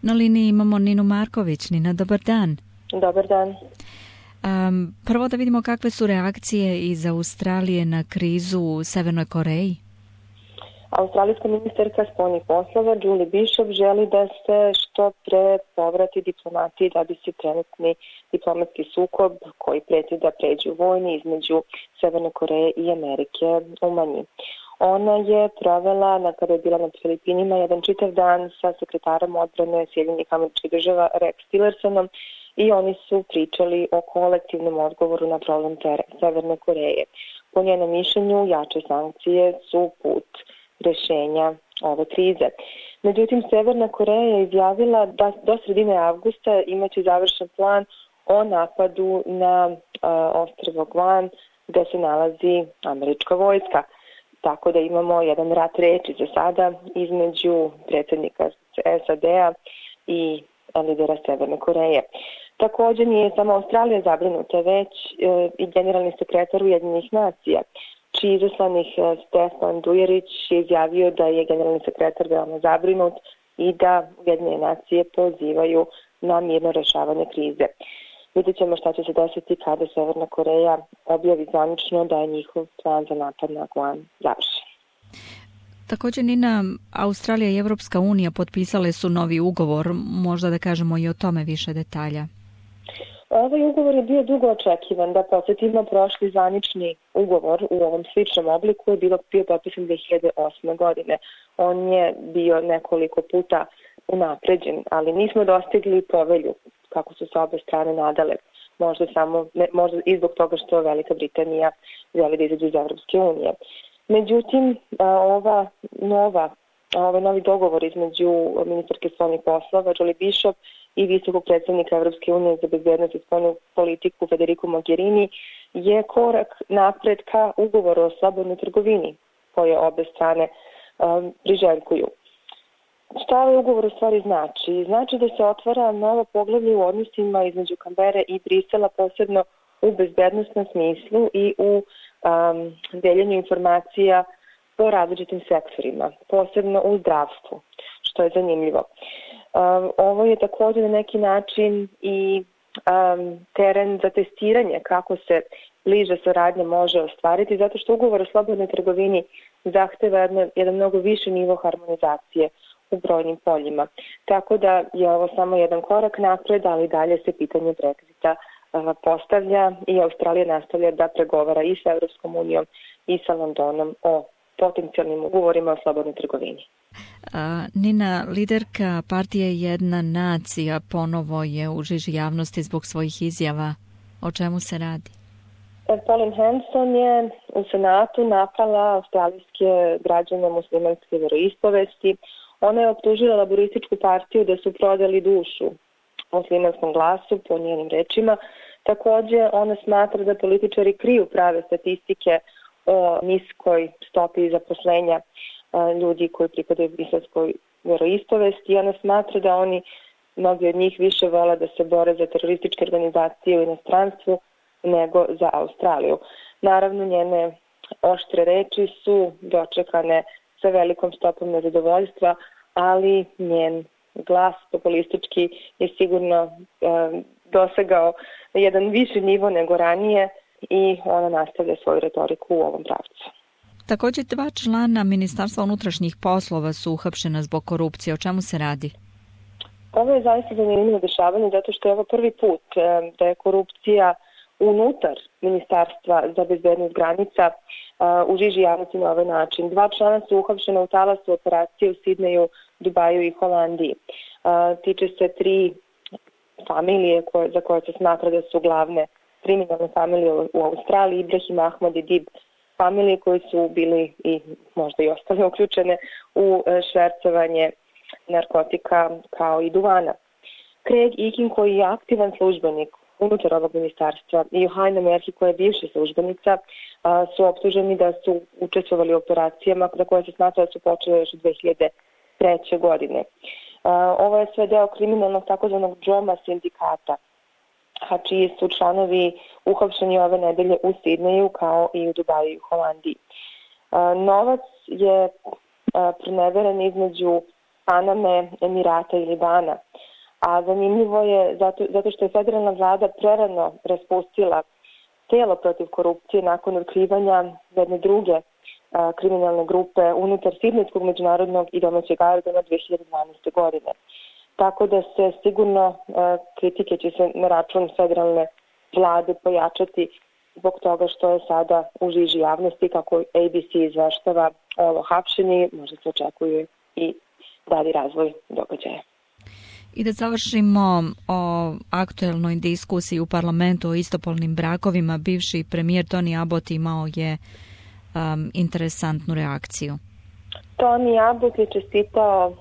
Na liniji imamo Ninu Marković. Nina, dobar dan. Dobar dan. Prvo da vidimo kakve su reakcije iz Australije na krizu u Severnoj Koreji. Australijska ministarka spoljnih poslova Julie Bishop želi da se što pre povrati diplomatiji da bi se trenutni diplomatski sukob koji preti da pređe u vojni između Severne Koreje i Amerike umanji. Ona je provela, kada je bila na Filipinima, jedan čitav dan sa sekretarom odbrane Sjedinjenih Američkih Država Rex Tillersonom i oni su pričali o kolektivnom odgovoru na problem Severne Koreje. Po njenom mišljenju, jače sankcije su put rešenja ove krize. Međutim, Severna Koreja je izjavila da do sredine avgusta imaće završen plan o napadu na ostrvo Guam gde se nalazi američka vojska. Tako da imamo jedan rat reči za sada između predsjednika SAD-a i lidera Severne Koreje. Također nije samo Australija zabrinuta, već i generalni sekretar Ujedinjenih nacija, čiji izaslanik Stefan Dujerić je izjavio da je generalni sekretar veoma zabrinut i da Ujedinjene nacije pozivaju na mirno rešavanje krize. Vidjet ćemo šta će se desiti kada Severna Koreja objavi zvanično da je njihov plan za napad na Guam završen. Također, Nina, Australija i Evropska unija potpisale su novi ugovor, možda da kažemo i o tome više detalja. Ovaj ugovor je bio dugo očekivan, da podsjetimo, prošli zvanični ugovor u ovom sličnom obliku je bio potpisan 2008. godine. On je bio nekoliko puta unapređen, ali nismo dostigli povelju kako su se obe strane nadale. Možda i zbog toga što Velika Britanija želi da izađe iz Evropske unije. Međutim, ovaj novi dogovor između ministarke spoljnih poslova Julie Bishop i visokog predstavnika Evropske unije za bezbednost i spoljnu politiku Federico Mogherini je korak napred ka ugovoru o slobodnoj trgovini koje obe strane priželjkuju. Šta ovaj ugovor u stvari znači? Znači da se otvara novo poglavlje u odnosima između Kambere i Brisela, posebno u bezbednostnom smislu i u deljenju informacija po različitim sektorima, posebno u zdravstvu, što je zanimljivo. Ovo je također na neki način i teren za testiranje kako se bliža saradnja može ostvariti, zato što ugovor o slobodnoj trgovini zahteva jedan mnogo viši nivo harmonizacije u brojnim poljima. Tako da je ovo samo jedan korak napred, ali dalje se pitanje Brexita postavlja i Australija nastavlja da pregovara i sa Evropskom unijom i sa Londonom o potencijalnim ugovorima o slobodnoj trgovini. Nina, liderka partije Jedna nacija ponovo je u žiži javnosti zbog svojih izjava. O čemu se radi? Pauline Hanson je u Senatu napala australijske građane muslimanske veroispovesti. Ona je optužila Laborističku partiju da su prodali dušu muslimanskom glasu, po njenim rečima. Također, ona smatra da političari kriju prave statistike o niskoj stopi zaposlenja ljudi koji pripadaju islamskoj veroispovesti i ona smatra da mnogi od njih više vole da se bore za terorističke organizacije u inostranstvu nego za Australiju. Naravno, njene oštre reči su dočekane sa velikom stopom nezadovoljstva, ali njen glas populistički je sigurno dosegao jedan viši nivo nego ranije i ona nastavlja svoju retoriku u ovom pravcu. Također 2 člana Ministarstva unutrašnjih poslova su uhapšena zbog korupcije. O čemu se radi? Ovo je zaista zanimljivo dešavanje zato što je ovo prvi put da je korupcija unutar Ministarstva za bezbednost granica u žiži javnosti na ovaj način. 2 člana su uhapšena u talasu operacije u Sidneju, Dubaju i Holandiji. Tiče se 3 familije za koje se smatra da su glavne kriminalne familije u Australiji, Ibrahim, Ahmad i Dib familije koji su bili i možda i ostale uključene u švercovanje narkotika kao i duvana. Craig Eakin, koji je aktivan službenik unutar ovog ministarstva, i Johanna Merhi, koja je bivša službenica, su optuženi da su učestvovali u operacijama za koje se smatra da su počele još 2003. godine. Ovo je sve deo kriminalnog takozvanog Džoma sindikata, a čiji su članovi uhapšeni ove nedelje u Sidneju kao i u Dubaju i Holandiji. Novac je proneveren između Paname, Emirata i Libana. A zanimljivo je zato što je federalna vlada prerano raspustila telo protiv korupcije nakon otkrivanja jedne druge kriminalne grupe unutar Sidnejskog međunarodnog i domaćeg aerodroma 2012. godine. Tako da se sigurno kritike će se na račun federalne vlade pojačati zbog toga što je sada u žiži javnosti, kako ABC izveštava ovo hapšenje, možda se očekuje i dalji razvoj događaja. I da završimo o aktuelnoj diskusiji u parlamentu o istopolnim brakovima, bivši premijer Tony Abbott imao je interesantnu reakciju. Tony Abbott je čestitao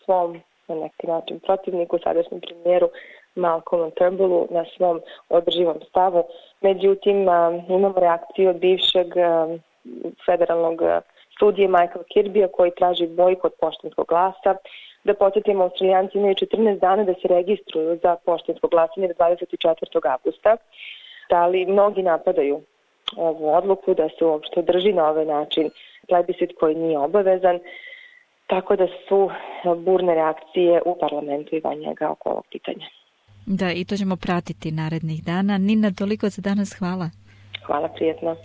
svom, na neki način, protivniku, sadašnjem premijeru Malcolmu Turnbullu na svom održivom stavu. Međutim, imamo reakciju od bivšeg federalnog sudije Michael Kirbya koji traži bojkot poštanskog glasa. Da podsjetimo, Australijanci imaju 14 dana da se registruju za poštansko glasanje do 24. avgusta. Ali mnogi napadaju ovu odluku da se uopšte drži na ovaj način plebiscit koji nije obavezan, tako da su burne reakcije u parlamentu i van njega oko ovog pitanja. Da, i to ćemo pratiti narednih dana. Nina, toliko za danas, hvala. Hvala, prijetno.